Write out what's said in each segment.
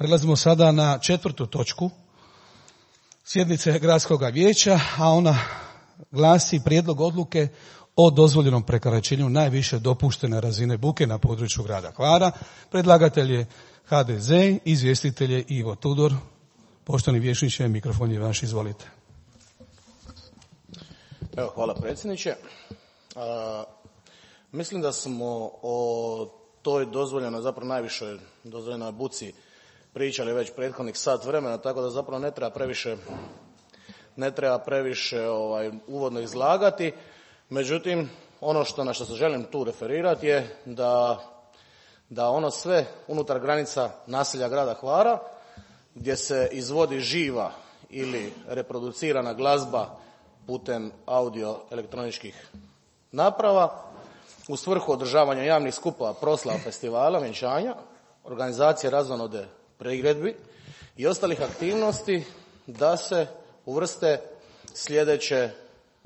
Prelazimo sada na 4. točku sjednice Gradskog vijeća, a ona glasi prijedlog odluke o dozvoljenom prekoračenju najviše dopuštene razine buke na području grada Hvara. Predlagatelj je HDZ, izvjestitelj je Ivo Tudor. Poštovani vijećniče, mikrofon je vaš, izvolite. Evo, hvala predsjedniče. Mislim da smo o toj dozvoljenoj, zapravo najvišoj dozvoljenoj buci pričali već prethodnih sat vremena, tako da zapravo ne treba previše uvodno izlagati. Međutim, ono na što se želim tu referirati je da ono sve unutar granica naselja grada Hvara gdje se izvodi živa ili reproducirana glazba putem audio elektroničkih naprava u svrhu održavanja javnih skupova, proslava, festivala, vjenčanja, organizacije razonode priredbi i ostalih aktivnosti da se uvrste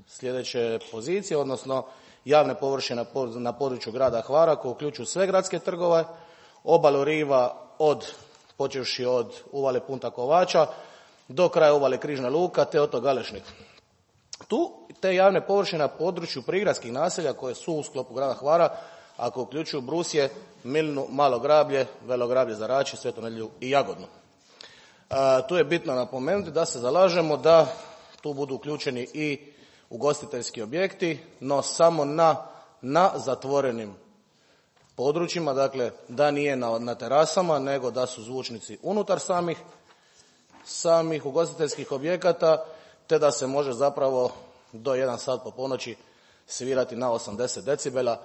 sljedeće pozicije, odnosno javne površine na području grada Hvara koje uključuju sve gradske trgove, obalu riva počevši od uvale Punta Kovača do kraja uvale Križna Luka te otok Galešnik. Tu te javne površine na području prigradskih naselja koje su u sklopu grada Hvara, ako uključuju Brusje, Milnu, Malo Grablje, Velo Grablje, Zarači, Svetu Nedjelju i Jagodnu. Tu je bitno napomenuti da se zalažemo da tu budu uključeni i ugostiteljski objekti, no samo na zatvorenim područjima, dakle da nije na terasama, nego da su zvučnici unutar samih ugostiteljskih objekata, te da se može zapravo do 1 sat po ponoći svirati na 80 decibela,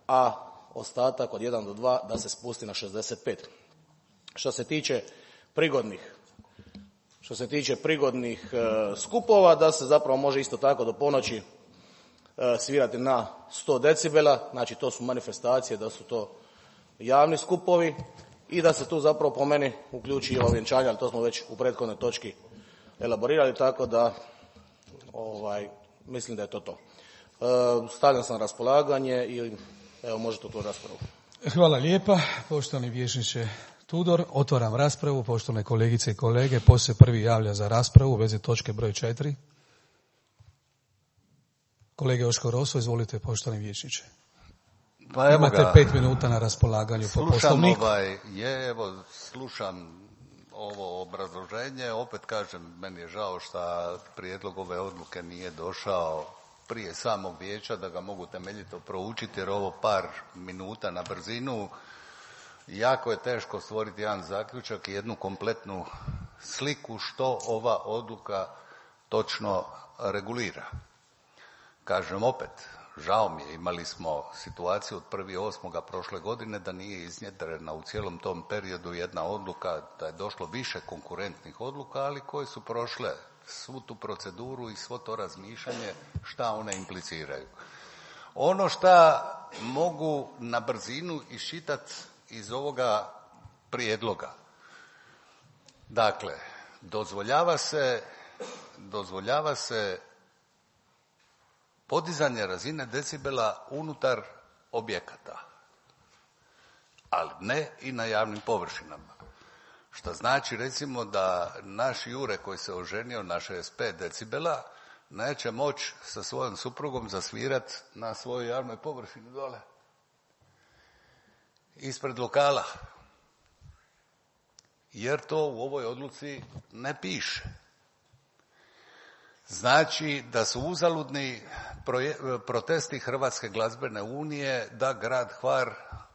a ostatak od 1 do 2 da se spusti na 65. Što se tiče prigodnih skupova, da se zapravo može isto tako do ponoći svirati na 100 decibela, znači to su manifestacije, da su to javni skupovi i da se tu zapravo po meni uključi i ovo vjenčanje, ali to smo već u prethodnoj točki elaborirali, tako da mislim da je to. Stavljam sam na raspolaganje i evo možete tu raspravu. Hvala lijepa, poštovani vijećniče Tudor. Otvaram raspravu, poštovane kolegice i kolege. Poslije prvi javlja za raspravu u vezi točke broj 4. Kolege Joško Roso, izvolite, poštovani vijećniče. Pa evo imate 5 minuta na raspolaganju po Poslovniku. Slušam ovo obrazloženje, opet kažem, meni je žao što prijedlog ove odluke nije došao prije samog vijeća da ga mogu temeljito proučiti, jer ovo par minuta na brzinu jako je teško stvoriti jedan zaključak i jednu kompletnu sliku što ova odluka točno regulira. Kažem opet, žao mi je, imali smo situaciju od 1.8. prošle godine da nije iznjedrena u cijelom tom periodu jedna odluka, da je došlo više konkurentnih odluka, ali koje su prošle svu tu proceduru i svo to razmišljanje šta one impliciraju. Ono šta mogu na brzinu iščitati iz ovoga prijedloga. Dakle, dozvoljava se podizanje razine decibela unutar objekata, ali ne i na javnim površinama. Što znači recimo da naš Jure koji se oženio na 65 decibela neće moći sa svojom suprugom zasvirati na svojoj javnoj površini dole ispred lokala, jer to u ovoj odluci ne piše. Znači da su uzaludni protesti Hrvatske glazbene unije da grad Hvar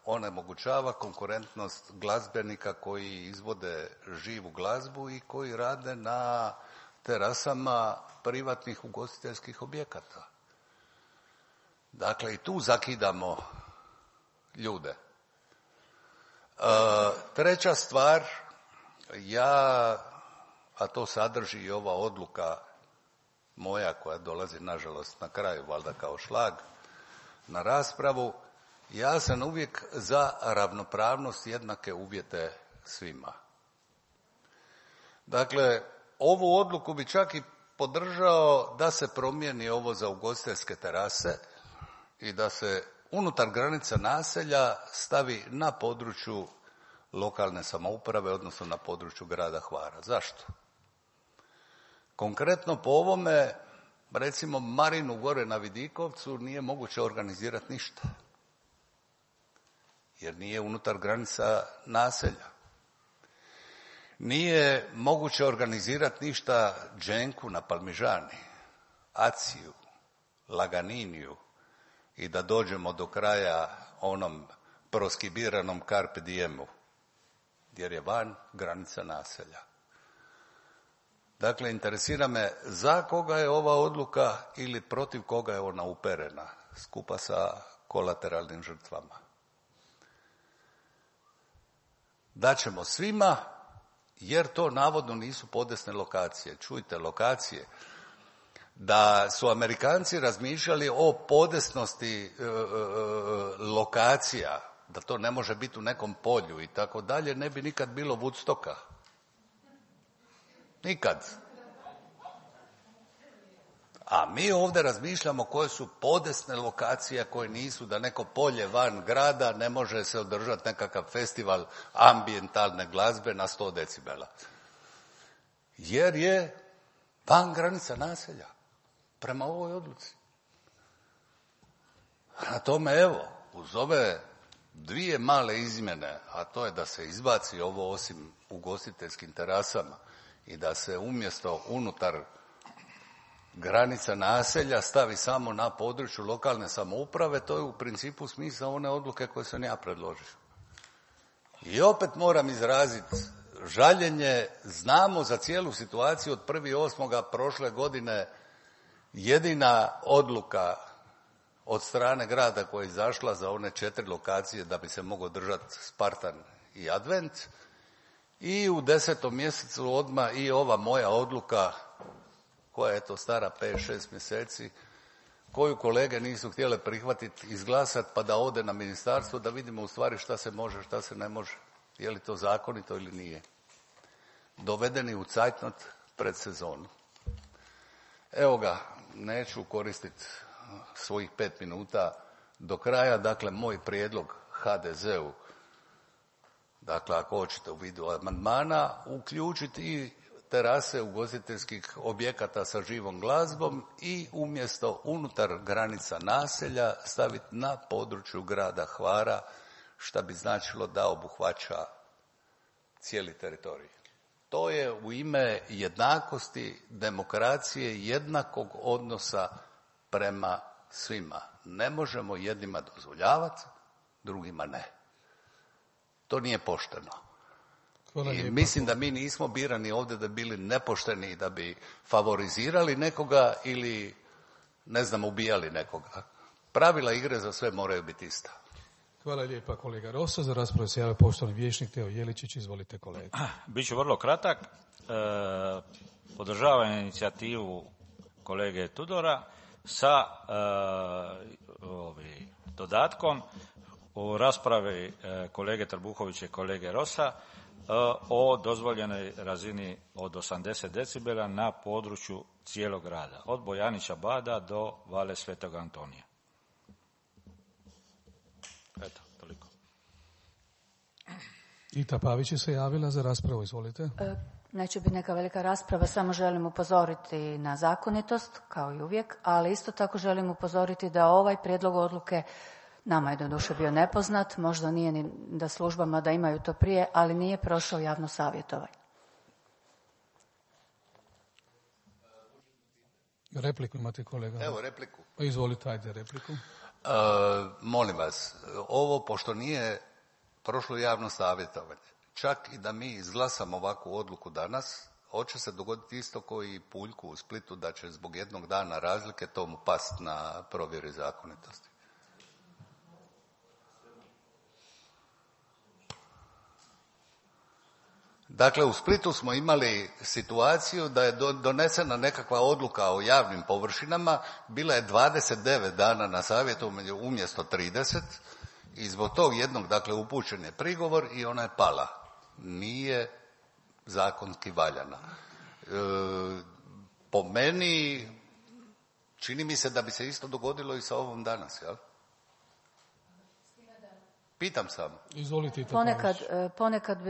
onemogućava konkurentnost glazbenika koji izvode živu glazbu i koji rade na terasama privatnih ugostiteljskih objekata. Dakle, i tu zakidamo ljude. Treća stvar, a to sadrži i ova odluka moja koja dolazi nažalost na kraju, valjda kao šlag na raspravu, ja sam uvijek za ravnopravnost, jednake uvjete svima. Dakle, ovu odluku bi čak i podržao da se promijeni ovo za ugostiteljske terase i da se unutar granica naselja stavi na području lokalne samouprave, odnosno na području grada Hvara. Zašto? Konkretno po ovome, recimo Marinu gore na Vidikovcu nije moguće organizirati ništa, jer nije unutar granica naselja. Nije moguće organizirati ništa Dženku na Palmižani, Aciju, Laganiniju i da dođemo do kraja onom proskibiranom Carpe Diemu, jer je van granica naselja. Dakle, interesira me za koga je ova odluka ili protiv koga je ona uperena, skupa sa kolateralnim žrtvama. Daćemo svima, jer to navodno nisu podesne lokacije. Čujte, lokacije. Da su Amerikanci razmišljali o podesnosti lokacija, da to ne može biti u nekom polju i tako dalje, ne bi nikad bilo Woodstocka. Nikad. A mi ovdje razmišljamo koje su podesne lokacije, koje nisu, da neko polje van grada ne može se održati nekakav festival ambijentalne glazbe na 100 decibela. Jer je van granica naselja, prema ovoj odluci. Na tome, evo, uz ove dvije male izmjene, a to je da se izbaci ovo osim ugostiteljskim terasama i da se umjesto unutar granica naselja stavi samo na području lokalne samouprave, to je u principu smisao one odluke koje sam ja predložio. I opet moram izraziti žaljenje, znamo za cijelu situaciju od 1.8. prošle godine jedina odluka od strane grada koja je izašla za one 4 lokacije da bi se mogao držati Spartan i Advent, i u 10. mjesecu odmah i ova moja odluka koja je to stara 5-6 mjeseci, koju kolege nisu htjele prihvatiti, izglasati pa da ode na ministarstvo da vidimo u stvari šta se može, šta se ne može. Je li to zakonito ili nije. Dovedeni u cajtnot pred sezonu. Evo ga, neću koristiti svojih 5 minuta do kraja. Dakle, moj prijedlog HDZ-u, dakle, ako hoćete u vidu amandmana, uključiti i terase ugostiteljskih objekata sa živom glazbom i umjesto unutar granica naselja staviti na području grada Hvara, što bi značilo da obuhvaća cijeli teritorij. To je u ime jednakosti, demokracije, jednakog odnosa prema svima. Ne možemo jednima dozvoljavati, drugima ne. To nije pošteno. I mislim da mi nismo birani ovdje da bi bili nepošteni, da bi favorizirali nekoga ili, ne znam, ubijali nekoga. Pravila igre za sve moraju biti ista. Hvala lijepa kolega Rosa. Za raspravu se javlja poštovani vijećnik Teo Jeličić. Izvolite kolega. Biću vrlo kratak. Podržavam inicijativu kolege Tudora sa dodatkom u raspravi kolege Trbuhovića i kolege Rosa o dozvoljenoj razini od 80 decibela na području cijelog grada, od Bojanića Bada do Vale Svetog Antonija. Eto, toliko. Ita Pavić je se javila za raspravu, izvolite. Neće biti neka velika rasprava, samo želim upozoriti na zakonitost, kao i uvijek, ali isto tako želim upozoriti da ovaj prijedlog odluke, nama je doduše bio nepoznat, možda nije ni da službama da imaju to prije, ali nije prošao javno savjetovanje. Repliku imate kolega? Evo repliku. Izvolite, ajde repliku. Molim vas, ovo pošto nije prošlo javno savjetovanje, čak i da mi izglasamo ovakvu odluku danas, hoće se dogoditi isto koji i Puljku u Splitu, da će zbog jednog dana razlike tomu past na provjeri zakonitosti. Dakle, u Splitu smo imali situaciju da je donesena nekakva odluka o javnim površinama, bila je 29 dana na savjetovanju umjesto 30 i zbog tog jednog, dakle, upućen je prigovor i ona je pala. Nije zakonski valjana. Po meni, čini mi se da bi se isto dogodilo i sa ovom danas, jel? Pitam samo. Izvolite. Ponekad,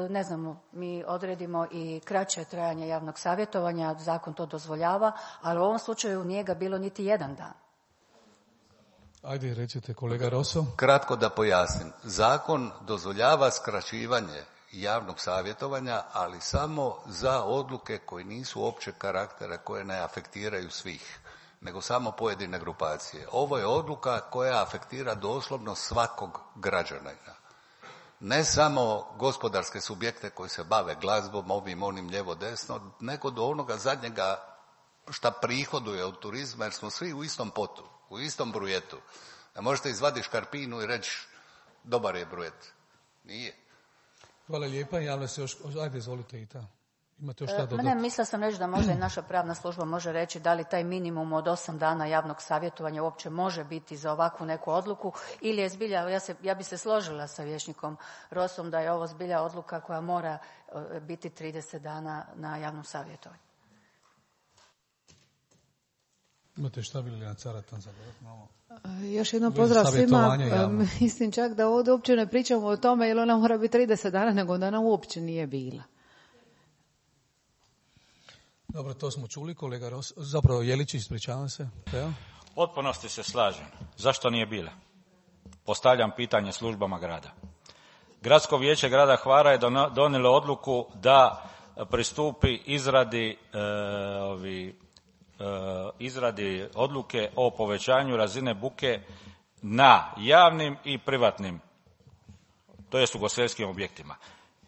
ne znamo, mi odredimo i kraće trajanje javnog savjetovanja, zakon to dozvoljava, ali u ovom slučaju nije ga bilo niti jedan dan. Ajde, recite kolega Roso. Kratko da pojasnim. Zakon dozvoljava skraćivanje javnog savjetovanja, ali samo za odluke koje nisu općeg karaktera, koje ne afektiraju svih, nego samo pojedine grupacije. Ovo je odluka koja afektira doslovno svakog građanina. Ne samo gospodarske subjekte koji se bave glazbom, ovim, onim, lijevo, desno, nego do onoga zadnjega šta prihoduje od turizma, jer smo svi u istom potu, u istom brujetu. Ne možete izvaditi škarpinu i reći dobar je brujet. Nije. Hvala lijepa, javlja se još, ajde izvolite i ta. Imate još šta dodati? Ne, mislila sam reći da možda i naša pravna služba može reći da li taj minimum od 8 dana javnog savjetovanja uopće može biti za ovakvu neku odluku ili je zbilja, ja bi se složila sa vijećnikom Rosom da je ovo zbilja odluka koja mora biti 30 dana na javnom savjetovanju. Imate šta bili na Caratan za ovo? Još jednom pozdrav svima. Mislim čak da ovdje uopće ne pričamo o tome jer ona mora biti 30 dana, nego da ona uopće nije bila. Dobro, to smo čuli, kolega Ros. Zapravo, Jelić, ispričavam se. Evo. Potpunosti se slažem. Zašto nije bila? Postavljam pitanje službama grada. Gradsko vijeće grada Hvara je donijelo odluku da pristupi izradi odluke o povećanju razine buke na javnim i privatnim, to jest ugostiteljskim objektima.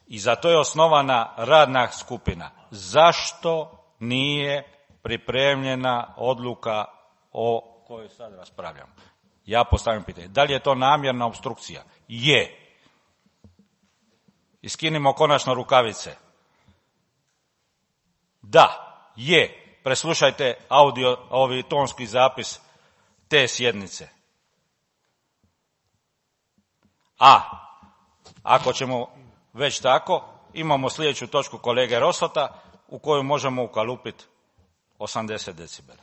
I za to je osnovana radna skupina. Zašto nije pripremljena odluka o kojoj sad raspravljamo? Ja postavljam pitanje. Da li je to namjerna opstrukcija? Je. Iskinimo konačno rukavice. Da, je. Preslušajte tonski zapis te sjednice. A ako ćemo već tako, imamo sljedeću točku kolege Rosota u koju možemo ukalupiti 80 decibela.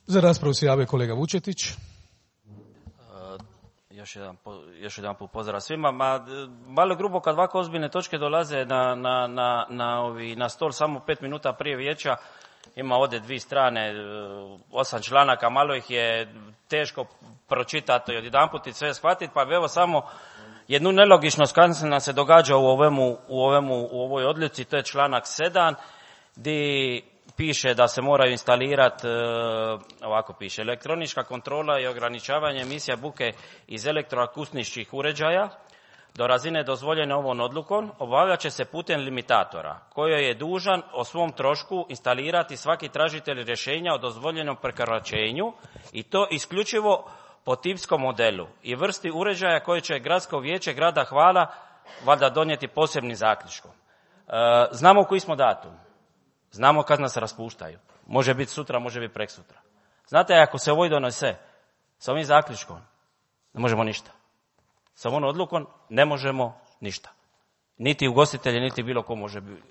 Za raspravu se javio kolega Vučetić. Još jedan put pozdrav svima. Malo grubo kad ovako ozbiljne točke dolaze na stol samo 5 minuta prije vijeća. Ima ovdje 2 strane, 8 članaka, malo ih je teško pročitati i odjedanput i sve shvatiti, pa evo samo jednu nelogičnost koja nam se događa u ovoj odluci, to je članak 7, gdje piše da se moraju instalirati, ovako piše, elektronička kontrola i ograničavanje emisija buke iz elektroakustičkih uređaja do razine dozvoljene ovom odlukom obavljat će se putem limitatora, koji je dužan o svom trošku instalirati svaki tražitelj rješenja o dozvoljenom prekoračenju i to isključivo po tipskom modelu i vrsti uređaja koje će Gradsko vijeće grada Hvara valjda donijeti posebnim zaključkom. Znamo koji smo datum, znamo kad nas raspuštaju. Može biti sutra, može biti preksutra. Znate, ako se ovo donese sa ovim zaključkom, ne možemo ništa. Sa ovom odlukom ne možemo ništa. Niti ugostitelji, niti bilo ko može biti.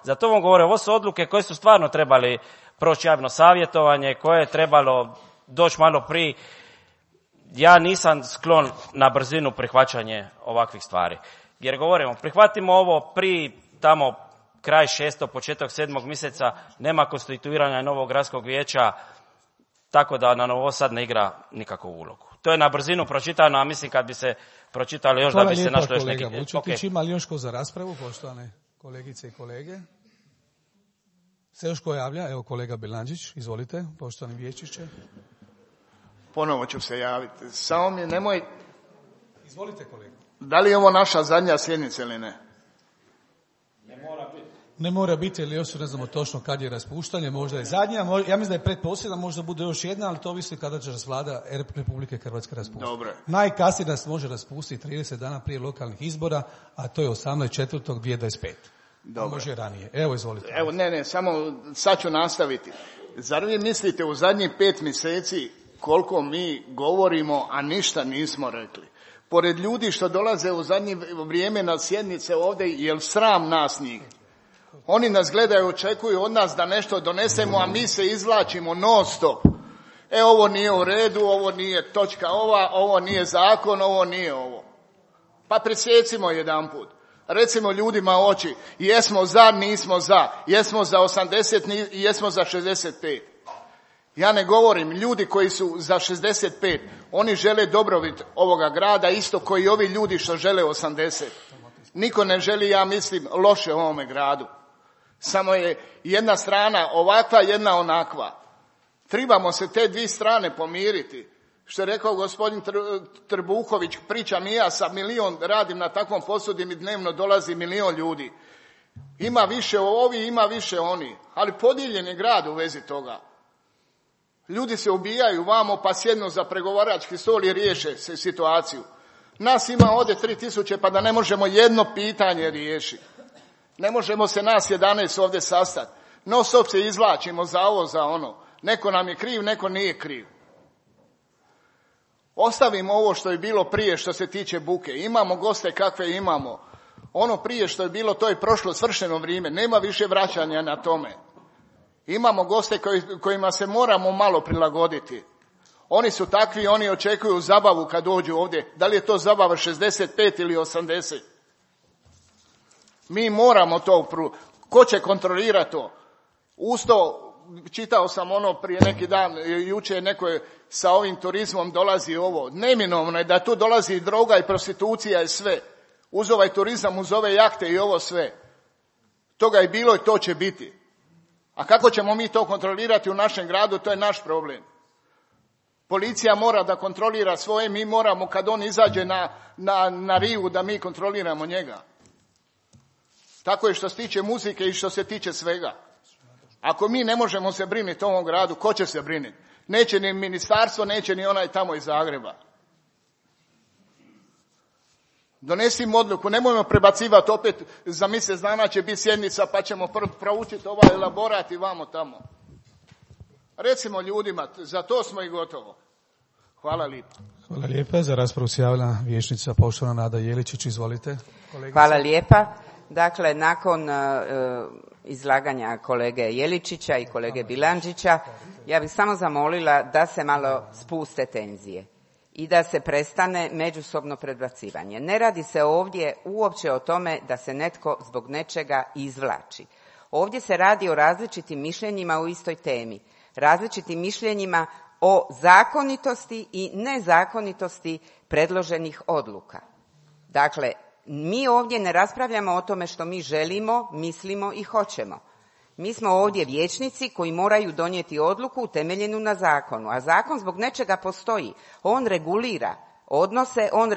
Zato vam govorim, ovo su odluke koje su stvarno trebali proći javno savjetovanje, koje je trebalo doći malo prije. Ja nisam sklon na brzinu prihvaćanje ovakvih stvari. Jer govorimo, prihvatimo ovo prije tamo kraj 6. početak 7. mjeseca, nema konstituiranja novog gradskog vijeća, tako da nam ovo sad ne igra nikakvu ulogu. To je na brzinu pročitano, a mislim kad bi se pročitalo još da bi se našlo još neki... Hvala lijepa kolega Vučetić. Ima li još ko za raspravu, poštovane kolegice i kolege? Se još ko javlja? Evo kolega Bilandžić, izvolite, poštovani vijećniče. Ponovo ću se javiti. Samo mi nemoj... Izvolite kolega. Da li je ovo naša zadnja sjednica ili ne? Ne mora biti, ili još ne znamo točno kad je raspuštanje, možda je zadnja, ja mislim da je pretposljedna, možda bude još jedna, ali to ovisi kada će Vlada Republike Hrvatske raspustiti. Dobro. Najkasnije nas može raspustiti 30 dana prije lokalnih izbora, a to je 18.4.2025. Dobro. Može ranije. Evo, izvolite. Evo, samo sad ću nastaviti. Zar vi mislite u zadnjih 5 mjeseci koliko mi govorimo, a ništa nismo rekli? Pored ljudi što dolaze u zadnje vrijeme na sjednice ovdje, jel sram nas njih? Oni nas gledaju, očekuju od nas da nešto donesemo, a mi se izvlačimo non stop. Ovo nije u redu, ovo nije točka ova, ovo nije zakon, ovo nije ovo. Pa presjecimo jedanput. Recimo ljudima u oči, jesmo za, nismo za, jesmo za 80, jesmo za 65. Ja ne govorim, ljudi koji su za 65, oni žele dobrobit ovoga grada, isto koji ovi ljudi što žele 80. Niko ne želi, ja mislim, loše ovome gradu. Samo je jedna strana ovakva, jedna onakva. Trebamo se te dvije strane pomiriti. Što je rekao gospodin Trbuhović, pričam i ja sa milion, radim na takvom poslu gdje mi dnevno dolazi 1.000.000 ljudi. Ima više ovi, ima više oni, ali podijeljen je grad u vezi toga. Ljudi se ubijaju vamo pa sjednu za pregovarački stol i riješe se situaciju. Nas ima ovdje 3.000 pa da ne možemo jedno pitanje riješiti. Ne možemo se nas 11 ovdje sastati. Non stop se izvlačimo za ovo, za ono. Neko nam je kriv, neko nije kriv. Ostavimo ovo što je bilo prije što se tiče buke. Imamo goste kakve imamo. Ono prije što je bilo, to je prošlo svršeno vrijeme. Nema više vraćanja na tome. Imamo goste kojima se moramo malo prilagoditi. Oni su takvi, oni očekuju zabavu kad dođu ovdje. Da li je to zabava 65 ili 80? Mi moramo to. Ko će kontrolirati to? Usto, čitao sam ono prije neki dan, jučer neko je sa ovim turizmom dolazi ovo. Neminovno je da tu dolazi droga i prostitucija i sve. Uz ovaj turizam, uz ove jahte i ovo sve. Toga je bilo i to će biti. A kako ćemo mi to kontrolirati u našem gradu, to je naš problem. Policija mora da kontrolira svoje, mi moramo kad on izađe na rivu da mi kontroliramo njega. Tako je što se tiče muzike i što se tiče svega. Ako mi ne možemo se brinuti o ovom gradu, ko će se brinuti? Neće ni ministarstvo, neće ni onaj tamo iz Zagreba. Donesimo odluku, nemojmo prebacivati opet, za mjesec dana će biti sjednica pa ćemo proučiti ovaj elaborat i vamo tamo. Recimo ljudima, za to smo i gotovo. Hvala lijepa. Hvala lijepa. Za raspravu se javila vijećnica poštovana Nada Jeličić. Izvolite. Kolegice. Hvala lijepa. Dakle, nakon izlaganja kolege Jeličića i kolege Bilandžića, ja bih samo zamolila da se malo spuste tenzije i da se prestane međusobno predbacivanje. Ne radi se ovdje uopće o tome da se netko zbog nečega izvlači. Ovdje se radi o različitim mišljenjima u istoj temi, različitim mišljenjima o zakonitosti i nezakonitosti predloženih odluka. Dakle, mi ovdje ne raspravljamo o tome što mi želimo, mislimo i hoćemo. Mi smo ovdje vijećnici koji moraju donijeti odluku utemeljenu na zakonu, a zakon zbog nečega postoji. On regulira odnose, on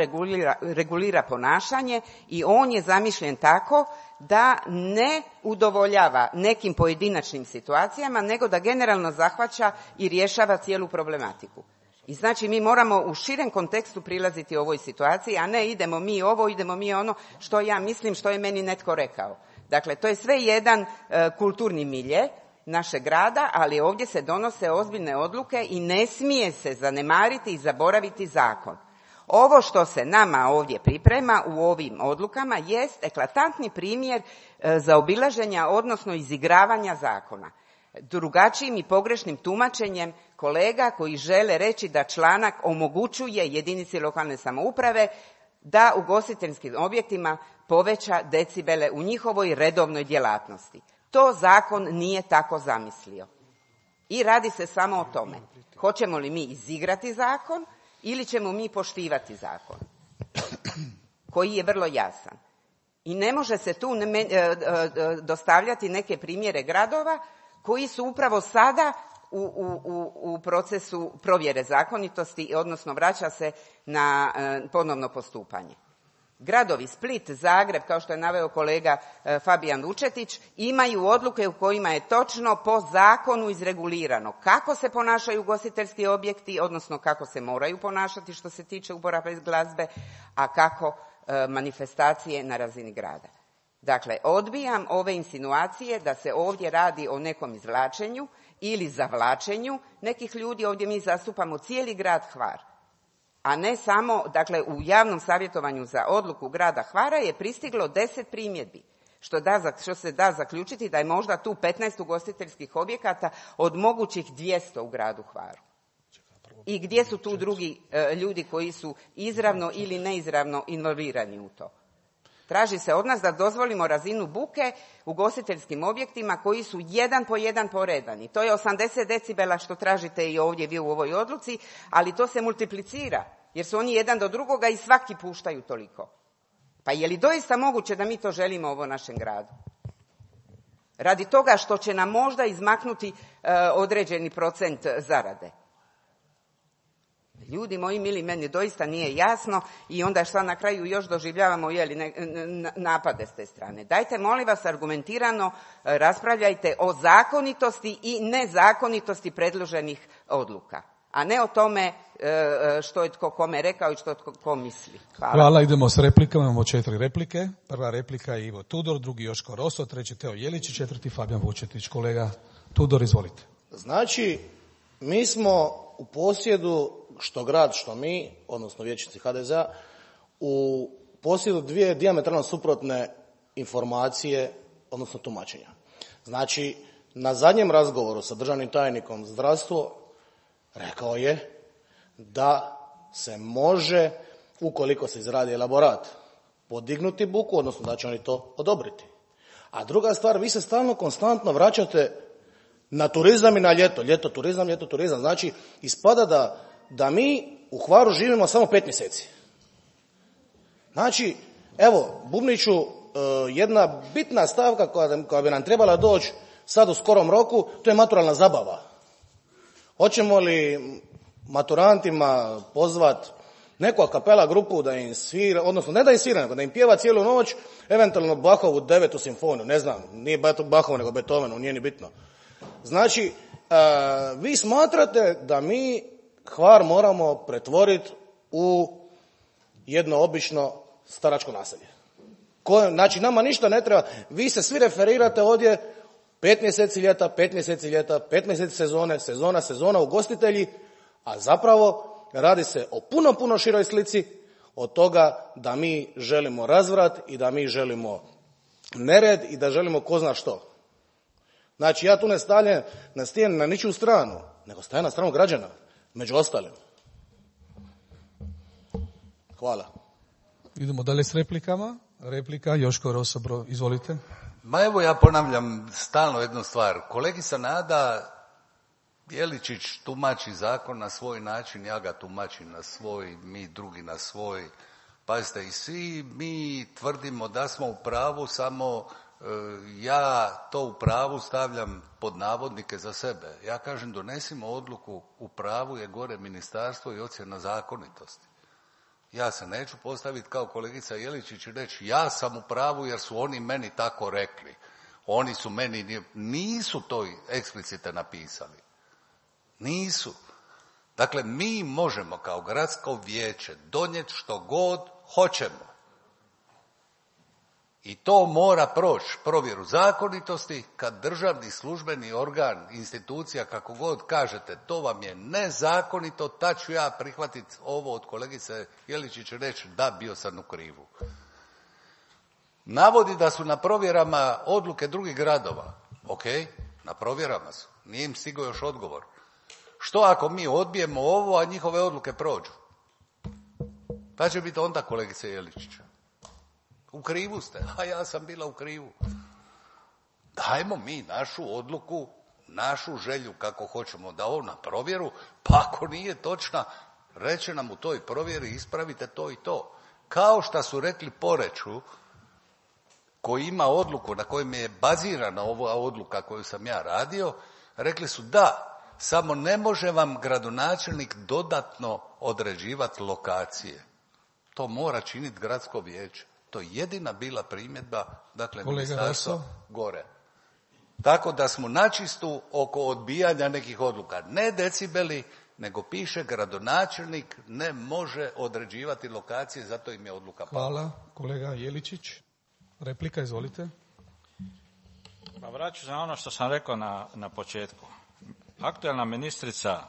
regulira ponašanje i on je zamišljen tako da ne udovoljava nekim pojedinačnim situacijama, nego da generalno zahvaća i rješava cijelu problematiku. I znači mi moramo u širem kontekstu prilaziti ovoj situaciji, a ne idemo mi ovo, idemo mi ono, što ja mislim, što je meni netko rekao. Dakle, to je sve jedan kulturni milje našeg grada, ali ovdje se donose ozbiljne odluke i ne smije se zanemariti i zaboraviti zakon. Ovo što se nama ovdje priprema u ovim odlukama jest eklatantni primjer zaobilaženja, odnosno izigravanja zakona. Drugačijim i pogrešnim tumačenjem kolega koji žele reći da članak omogućuje jedinici lokalne samouprave da ugostiteljskim objektima poveća decibele u njihovoj redovnoj djelatnosti. To zakon nije tako zamislio. I radi se samo o tome. Hoćemo li mi izigrati zakon ili ćemo mi poštivati zakon koji je vrlo jasan. I ne može se tu dostavljati neke primjere gradova koji su upravo sada u procesu provjere zakonitosti, odnosno vraća se na ponovno postupanje. Gradovi Split, Zagreb, kao što je naveo kolega Fabijan Vučetić, imaju odluke u kojima je točno po zakonu izregulirano kako se ponašaju ugostiteljski objekti, odnosno kako se moraju ponašati što se tiče uporabe glazbe, a kako manifestacije na razini grada. Dakle, odbijam ove insinuacije da se ovdje radi o nekom izvlačenju ili zavlačenju nekih ljudi. Ovdje mi zastupamo cijeli grad Hvar. A ne samo, dakle, u javnom savjetovanju za odluku grada Hvara je pristiglo 10 primjedbi, što se da zaključiti da je možda tu 15 ugostiteljskih objekata od mogućih 200 u gradu Hvaru. I gdje su tu drugi ljudi koji su izravno ili neizravno involvirani u to? Traži se od nas da dozvolimo razinu buke u ugostiteljskim objektima koji su jedan po jedan poredani. To je 80 decibela što tražite i ovdje vi u ovoj odluci, ali to se multiplicira jer su oni jedan do drugoga i svaki puštaju toliko. Pa je li doista moguće da mi to želimo u ovom našem gradu? Radi toga što će nam možda izmaknuti određeni procent zarade. Ljudi moji mili, meni doista nije jasno i onda šta na kraju još doživljavamo napade s te strane. Dajte, molim vas, argumentirano raspravljajte o zakonitosti i nezakonitosti predloženih odluka, a ne o tome što je tko kome rekao i što je tko misli. Hvala, idemo s replikama, imamo 4 replike. Prva replika je Ivo Tudor, drugi Joško Roso, treći Teo Jeličić, četvrti Fabijan Vučetić. Kolega Tudor, izvolite. Znači, mi smo u posjedu, što grad, što mi, odnosno vijećnici HDZ-a, u posjedu dvije dijametralno suprotne informacije, odnosno tumačenja. Znači, na zadnjem razgovoru sa državnim tajnikom zdravstvo rekao je da se može, ukoliko se izradi elaborat, podignuti buku, odnosno da će oni to odobriti. A druga stvar, vi se stalno konstantno vraćate na turizam i na ljeto. Ljeto turizam. Znači, ispada da mi u Hvaru živimo samo 5 mjeseci. Znači, evo, Bubniću, jedna bitna stavka koja bi nam trebala doći sad u skorom roku, to je maturalna zabava. Hoćemo li maturantima pozvat neku a kapela grupu da im svira, odnosno ne da im svira, nego da im pjeva cijelu noć, eventualno Bachovu 9. simfoniju, ne znam, nije Bachov nego Beethovenu, nije ni bitno. Znači, vi smatrate da mi Hvar moramo pretvoriti u jedno obično staračko naselje. Znači, nama ništa ne treba, vi se svi referirate ovdje 5 mjeseci ljeta, 5 mjeseci sezona, ugostitelji, a zapravo radi se o puno široj slici od toga da mi želimo razvrat i da mi želimo nered i da želimo ko zna što. Znači, ja tu ne stavljam na ničiju stranu, nego stavljam na stranu građana, među ostalim. Hvala. Idemo dalje s replikama. Replika Joško Roso, izvolite. Ma evo, ja ponavljam stalno jednu stvar. Kolegica Nada Jeličić tumači zakon na svoj način, ja ga tumačim na svoj, mi drugi na svoj. Pazite, i svi mi tvrdimo da smo u pravu, samo ja to u pravu stavljam pod navodnike za sebe. Ja kažem, donesimo odluku, u pravu je gore ministarstvo i ocjena zakonitosti. Ja se neću postaviti kao kolegica Jeličić i reći ja sam u pravu jer su oni meni tako rekli. Oni su meni, nisu to eksplicite napisali. Nisu. Dakle, mi možemo kao gradsko vijeće donijeti što god hoćemo. I to mora proći provjeru zakonitosti kad državni službeni organ, institucija, kako god kažete, to vam je nezakonito, tad ću ja prihvatiti ovo od kolegice Jeličić i reći da, bio sam u krivu. Navodi da su na provjerama odluke drugih gradova. Ok, na provjerama su. Nije im stigao još odgovor. Što ako mi odbijemo ovo, a njihove odluke prođu? Pa će biti onda kolegice Jeličić. U krivu ste, a ja sam bila u krivu. Dajmo mi našu odluku, našu želju kako hoćemo da ovo na provjeru, pa ako nije točna, reće nam u toj provjeri ispravite to i to. Kao što su rekli Poreču, koji ima odluku na kojem je bazirana ova odluka koju sam ja radio, rekli su da, samo ne može vam gradonačelnik dodatno određivati lokacije. To mora činiti gradsko vijeće. To je jedina bila primjedba, dakle, ministarstva gore. Tako da smo načistu oko odbijanja nekih odluka. Ne decibeli, nego piše gradonačelnik ne može određivati lokacije, zato im je odluka pala. Hvala. Kolega Jeličić, replika, izvolite. Pa vraću za ono što sam rekao na početku. Aktualna ministrica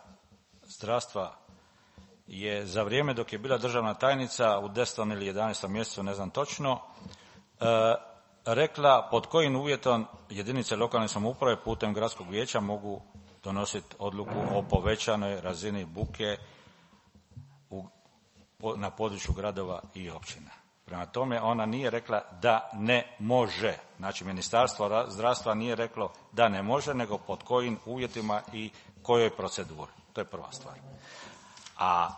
zdravstva je za vrijeme dok je bila državna tajnica u 10. ili 11. mjesecu, ne znam točno, rekla pod kojim uvjetom jedinice lokalne samouprave putem gradskog vijeća mogu donositi odluku o povećanoj razini buke na području gradova i općina. Prema tome, ona nije rekla da ne može. Znači, Ministarstvo zdravstva nije reklo da ne može, nego pod kojim uvjetima i kojoj proceduri. To je prva stvar. A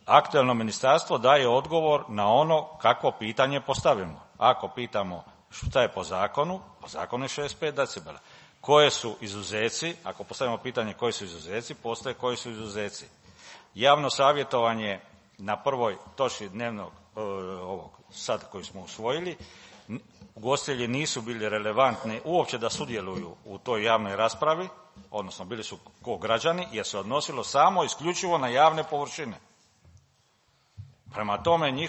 aktualno ministarstvo daje odgovor na ono kako pitanje postavimo. Ako pitamo šta je po zakonu je 65 decibela. Koje su izuzeci? Ako postavimo pitanje koji su izuzeci, postoje koji su izuzeci. Javno savjetovanje na prvoj točki dnevnog ovog sad koji smo usvojili, ugostitelji nisu bili relevantni uopće da sudjeluju u toj javnoj raspravi, odnosno bili su ko građani, jer se odnosilo samo isključivo na javne površine. Prema tome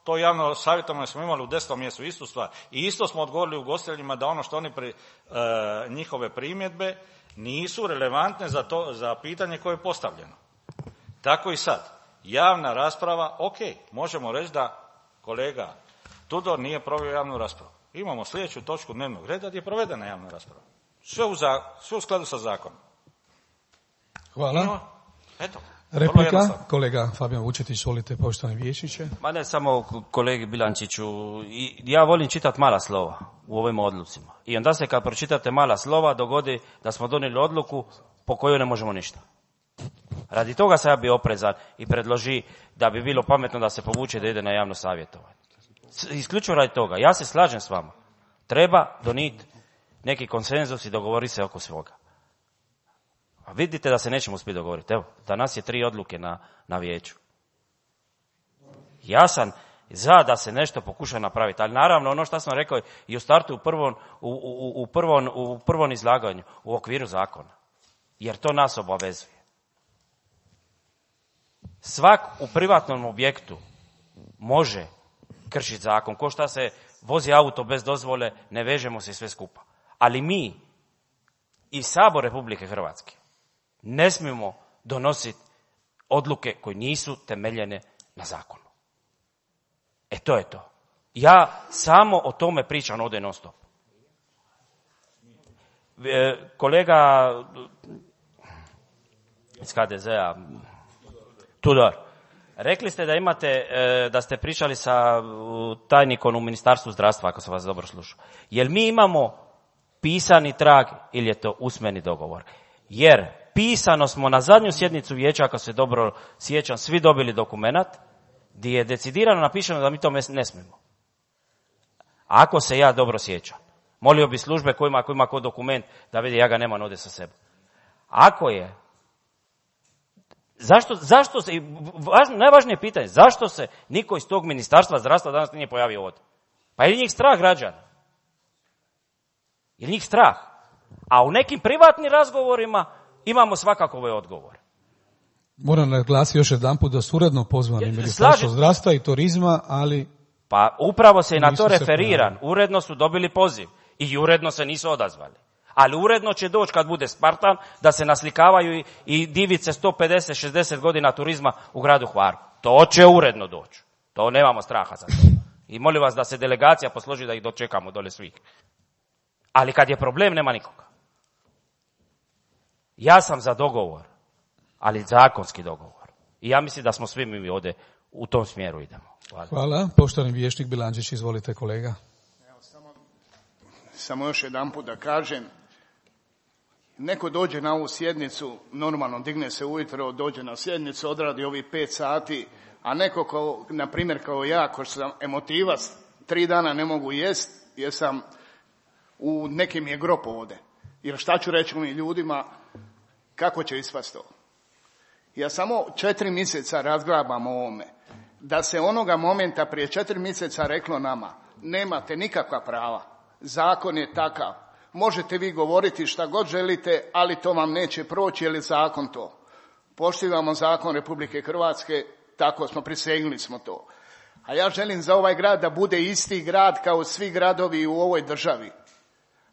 to javno savjetovanje smo imali u 10. mjesecu, istu stvar. I isto smo odgovorili ugostiteljima da ono što oni njihove primjedbe nisu relevantne za pitanje koje je postavljeno. Tako i sad. Javna rasprava, ok, možemo reći da kolega Tudor nije proveo javnu raspravu. Imamo sljedeću točku dnevnog reda gdje je provedena javna rasprava. Sve u skladu sa zakonom. Hvala. Eto. Replika, kolega Fabijan Vučetić, volite, poštovani vijećniče. Ma ne samo kolegi Bilančiću, ja volim čitati mala slova u ovim odlucima. I onda se kad pročitate mala slova dogodi da smo donijeli odluku po kojoj ne možemo ništa. Radi toga sam ja bio oprezan i predloži da bi bilo pametno da se povuče da ide na javno savjetovanje. Isključivo radi toga. Ja se slažem s vama. Treba donijeti neki konsenzus i dogovoriti se oko svoga. A vidite da se nećemo uspjeti dogovoriti. Evo, danas je 3 odluke na vijeću. Ja sam za da se nešto pokuša napraviti, ali naravno ono što sam rekao i u startu u prvom izlaganju, u okviru zakona. Jer to nas obavezuje. Svak u privatnom objektu može kršiti zakon. Ko šta se vozi auto bez dozvole, ne vežemo se sve skupa. Ali mi i Sabor Republike Hrvatske ne smijemo donositi odluke koje nisu temeljene na zakonu. To je to. Ja samo o tome pričam ovdje non stop. Kolega iz HDZ-a, Tudor, rekli ste da da ste pričali sa tajnikom u Ministarstvu zdravstva, ako sam vas dobro slušao. Jel mi imamo pisani trag ili je to usmeni dogovor? Jer pisano smo na zadnju sjednicu vijeća, ako se dobro sjećam, svi dobili dokumenat gdje je decidirano napišeno da mi to ne smijemo. Ako se ja dobro sjećam. Molio bi službe kojima ima ko dokument da vidi, ja ga nemam ovdje sa sebe. Ako je, zašto se, najvažnije pitanje, zašto se niko iz tog Ministarstva zdravstva danas nije pojavio ovdje? Pa je li njih strah građana? Je li njih strah? A u nekim privatnim razgovorima imamo svakako ove odgovore. Moram naglasiti još jedanput da su uredno pozvani Ministarstvo zdravstva i turizma, ali... Pa upravo se i na to referiran. Uredno su dobili poziv i uredno se nisu odazvali. Ali uredno će doći kad bude Spartan da se naslikavaju i divice 150-60 godina turizma u gradu Hvaru. To će uredno doći. To nemamo straha za to. I molim vas da se delegacija posloži da ih dočekamo dole svih. Ali kad je problem, nema nikoga. Ja sam za dogovor, ali zakonski dogovor. I ja mislim da smo svi mi ovdje u tom smjeru idemo. Hvala. Poštovani vijećnik Bilandžić, izvolite kolega. Evo, samo još jedanput da kažem, neko dođe na ovu sjednicu, normalno digne se ujutro, dođe na sjednicu, odradi ovih 5 sati, a neko na primjer kao ja, ko sam emotivac, 3 dana ne mogu jest, jer sam u nekim je grob ovdje. Jer šta ću reći ovim ljudima, kako će ispast to? Ja samo 4 mjeseca razglabam o ovome. Da se onoga momenta prije 4 mjeseca reklo nama, nemate nikakva prava, zakon je takav, možete vi govoriti šta god želite, ali to vam neće proći jer je zakon to. Poštivamo zakon Republike Hrvatske, tako smo, prisegnuli smo to. A ja želim za ovaj grad da bude isti grad kao svi gradovi u ovoj državi.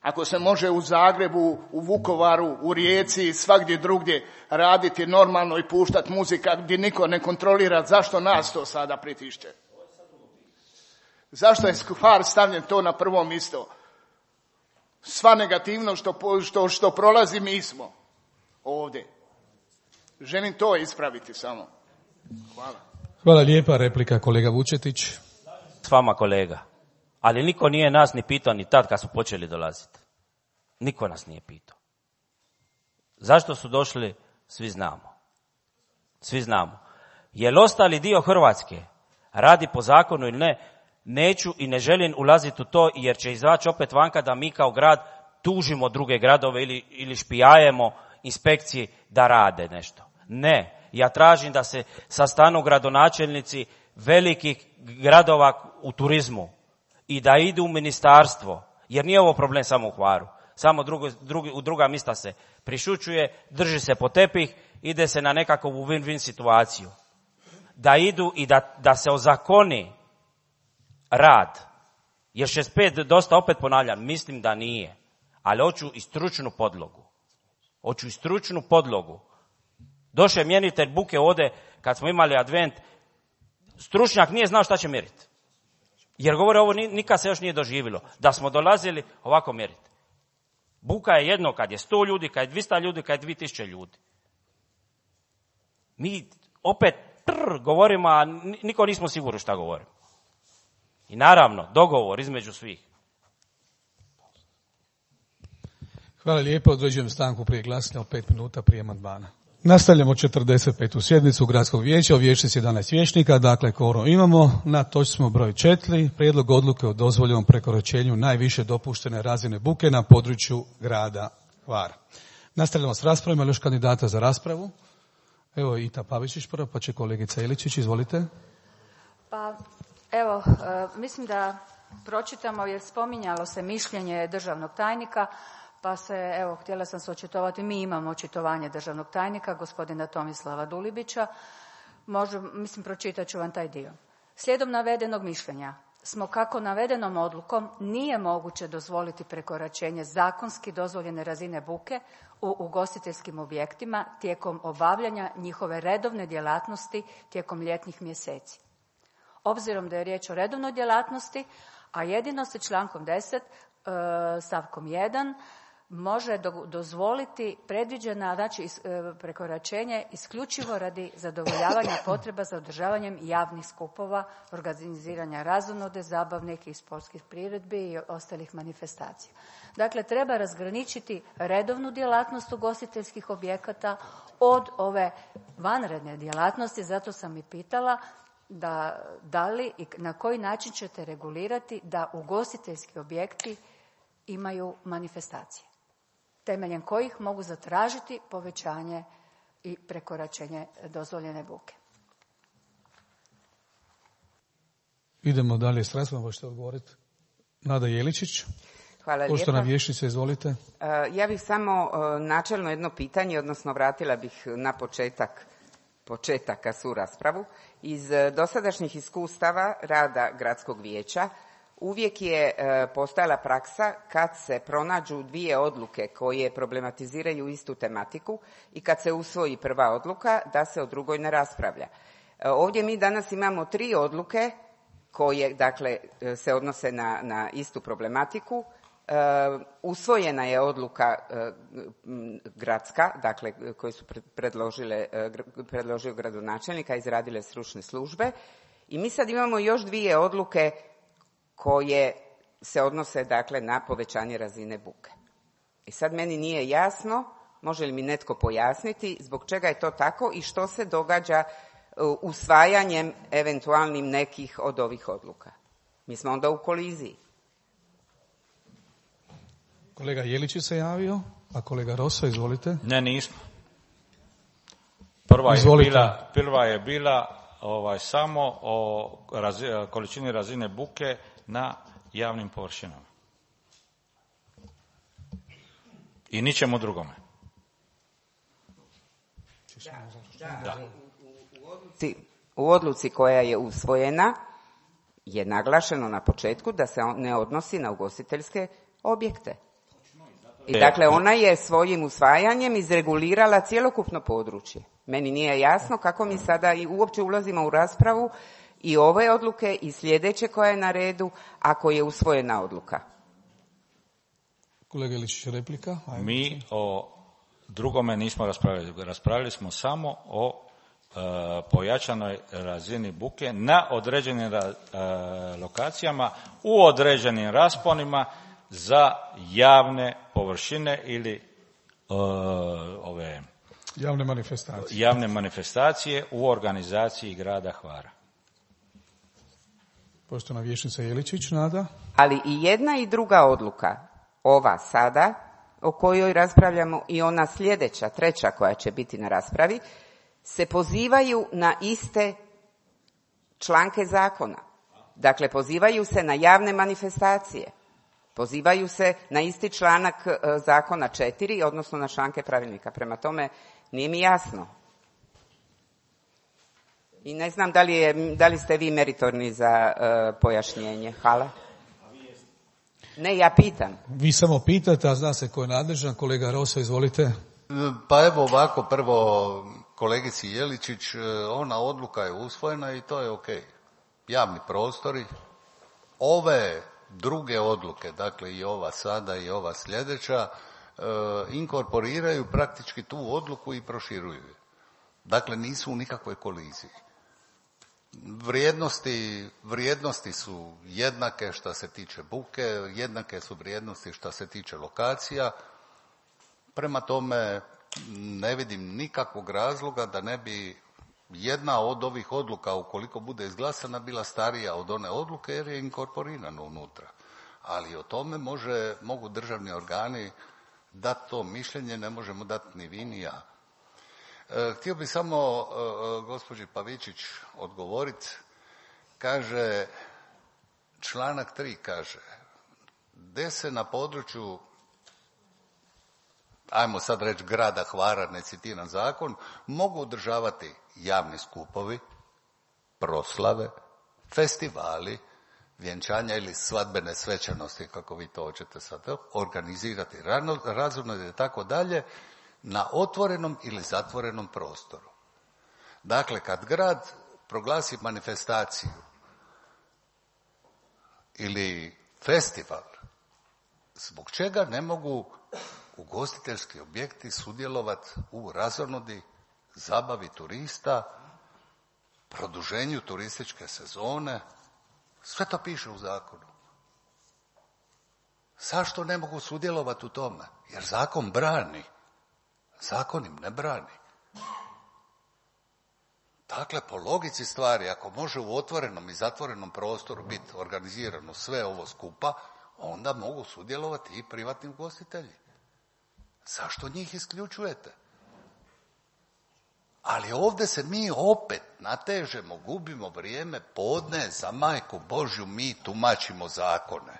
Ako se može u Zagrebu, u Vukovaru, u Rijeci i svagdje drugdje raditi normalno i puštati muzika gdje niko ne kontrolira, zašto nas to sada pritišće? Zašto je Hvar stavljen to na prvo mjesto? Sva negativnost što prolazi mi smo ovdje. Želim to ispraviti samo. Hvala. Hvala lijepa. Replika kolega Vučetić. S vama kolega. Ali niko nije nas ni pitao ni tad kad su počeli dolaziti. Niko nas nije pitao. Zašto su došli? Svi znamo. Svi znamo. Je li ostali dio Hrvatske radi po zakonu ili ne? Neću i ne želim ulaziti u to jer će izaći opet vanka da mi kao grad tužimo druge gradove ili špijajemo inspekciji da rade nešto. Ne, ja tražim da se sastanu gradonačelnici velikih gradova u turizmu i da idu u ministarstvo, jer nije ovo problem samo u Hvaru. Samo u druga mjesta se prišućuje, drži se po tepih, ide se na nekakvu win-win situaciju. Da idu i da se ozakoni rad. Jer 65 dosta, opet ponavljam, mislim da nije. Ali hoću i stručnu podlogu. Hoću i stručnu podlogu. Došao je mjeritelj buke ovdje, kad smo imali advent, stručnjak nije znao šta će mjeriti. Jer govore, ovo nikad se još nije doživjelo. Da smo dolazili ovako mjeriti. Buka je jedno kad je 100 ljudi, kad je 200 ljudi, kad je 2000 ljudi. Mi opet govorimo, a niko nismo sigurni šta govorimo. I naravno, dogovor između svih. Hvala lijepo. Određujem stanku prije glasanja od 5 minuta prije amandmana. Nastavljamo 45. sjednicu Gradskog vijeća, u vijeću 11 vijećnika, dakle kvorum imamo. Na točci smo broj 4, prijedlog odluke o dozvoljenom prekoračenju najviše dopuštene razine buke na području grada Hvara. Nastavljamo s raspravom, još kandidata za raspravu. Evo Ita Pavičić prvo, pa će kolegica Iličić, izvolite. Pa evo, mislim da pročitamo jer spominjalo se mišljenje državnog tajnika, pa se, evo, htjela sam se očitovati, mi imamo očitovanje državnog tajnika, gospodina Tomislava Dulibića, pročitat ću vam taj dio. Slijedom navedenog mišljenja smo kako navedenom odlukom nije moguće dozvoliti prekoračenje zakonski dozvoljene razine buke u ugostiteljskim objektima tijekom obavljanja njihove redovne djelatnosti tijekom ljetnih mjeseci. Obzirom da je riječ o redovnoj djelatnosti, a jedino se člankom 10 stavkom 1 može dozvoliti predviđena, znači prekoračenje isključivo radi zadovoljavanja potreba za održavanjem javnih skupova, organiziranja razonode, zabavnih i sportskih priredbi i ostalih manifestacija. Dakle, treba razgraničiti redovnu djelatnost ugostiteljskih objekata od ove vanredne djelatnosti, zato sam i pitala da li i na koji način ćete regulirati da ugostiteljski objekti imaju manifestacije, temeljem kojih mogu zatražiti povećanje i prekoračenje dozvoljene buke. Idemo dalje s raspravom, možete odgovoriti. Nada Jeličić. Hvala lijepa. Poštovana vijećnice, izvolite. Ja bih samo načelno jedno pitanje, odnosno vratila bih na početaka su raspravu. Iz dosadašnjih iskustava rada gradskog vijeća uvijek je postojala praksa kad se pronađu dvije odluke koje problematiziraju istu tematiku i kad se usvoji prva odluka da se o drugoj ne raspravlja. Ovdje mi danas imamo 3 odluke koje dakle se odnose na istu problematiku. Usvojena je odluka gradska, dakle koju su predložio gradonačelnika, izradile stručne službe i mi sad imamo još 2 odluke koje se odnose dakle na povećanje razine buke. I sad meni nije jasno, može li mi netko pojasniti zbog čega je to tako i što se događa usvajanjem eventualnim nekih od ovih odluka. Mi smo onda u koliziji. Kolega Jelić se javio, a kolega Rosa, izvolite. Ne, nismo. Prva je bila samo o količini razine buke na javnim površinama. I ničemu drugome. Da. U odluci koja je usvojena je naglašeno na početku da se ne odnosi na ugostiteljske objekte. I dakle, ona je svojim usvajanjem izregulirala cjelokupno područje. Meni nije jasno kako mi sada i uopće ulazimo u raspravu i ove odluke i sljedeće koja je na redu ako je usvojena odluka. Kolega Iličić, replika. Ajde. Mi o drugome nismo raspravljali. Raspravljali smo samo o pojačanoj razini buke na određenim lokacijama u određenim rasponima za javne površine ili javne manifestacije u organizaciji grada Hvara. Poštovana vijećnica Jeličić, Nada. Ali i jedna i druga odluka, ova sada o kojoj raspravljamo i ona sljedeća, treća koja će biti na raspravi, se pozivaju na iste članke zakona. Dakle, pozivaju se na javne manifestacije. Pozivaju se na isti članak zakona 4, odnosno na članke pravilnika. Prema tome, nije mi jasno. I ne znam da li ste vi meritorni za pojašnjenje. Hvala. Ne, ja pitam. Vi samo pitate, a zna se ko je nadležan. Kolega Rosa, izvolite. Pa evo ovako, prvo kolegici Jeličić, ona odluka je usvojena i to je ok. Javni prostori, ove druge odluke, dakle i ova sada i ova sljedeća, inkorporiraju praktički tu odluku i proširuju je. Dakle, nisu u nikakvoj koliziji. Vrijednosti su jednake što se tiče buke, jednake su vrijednosti što se tiče lokacija. Prema tome, ne vidim nikakvog razloga da ne bi jedna od ovih odluka, ukoliko bude izglasana, bila starija od one odluke jer je inkorporirana unutra. Ali o tome mogu državni organi dati to mišljenje, ne možemo dati ni vi ni ja. Htio bih samo gospođi Pavičić odgovoriti. Kaže, članak 3 kaže, gdje se na području, ajmo sad reći grada Hvara, ne citiram zakon, mogu održavati javni skupovi, proslave, festivali, vjenčanja ili svadbene svečanosti, kako vi to hoćete sad organizirati, razumno i tako dalje, na otvorenom ili zatvorenom prostoru. Dakle, kad grad proglasi manifestaciju ili festival, zbog čega ne mogu ugostiteljski objekti sudjelovati u razonodi, zabavi turista, produženju turističke sezone? Sve to piše u zakonu. Zašto ne mogu sudjelovati u tome? Jer zakon brani. Zakon im ne brani. Dakle, po logici stvari, ako može u otvorenom i zatvorenom prostoru biti organizirano sve ovo skupa, onda mogu sudjelovati i privatni ugostitelji. Zašto njih isključujete? Ali ovdje se mi opet natežemo, gubimo vrijeme podne, za majku Božju mi tumačimo zakone.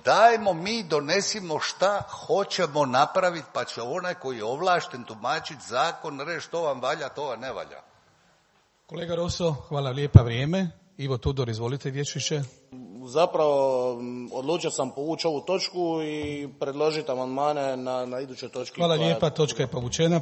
Dajmo mi donesimo šta hoćemo napraviti, pa će onaj koji je ovlašten tumačiti zakon reći to vam valja, to vam ne valja. Kolega Roso, hvala lijepa, vrijeme. Ivo Tudor, izvolite, vijećniče. Zapravo odlučio sam povući ovu točku i predložiti amandmane na idućoj točki. Hvala lijepa, točka je povučena.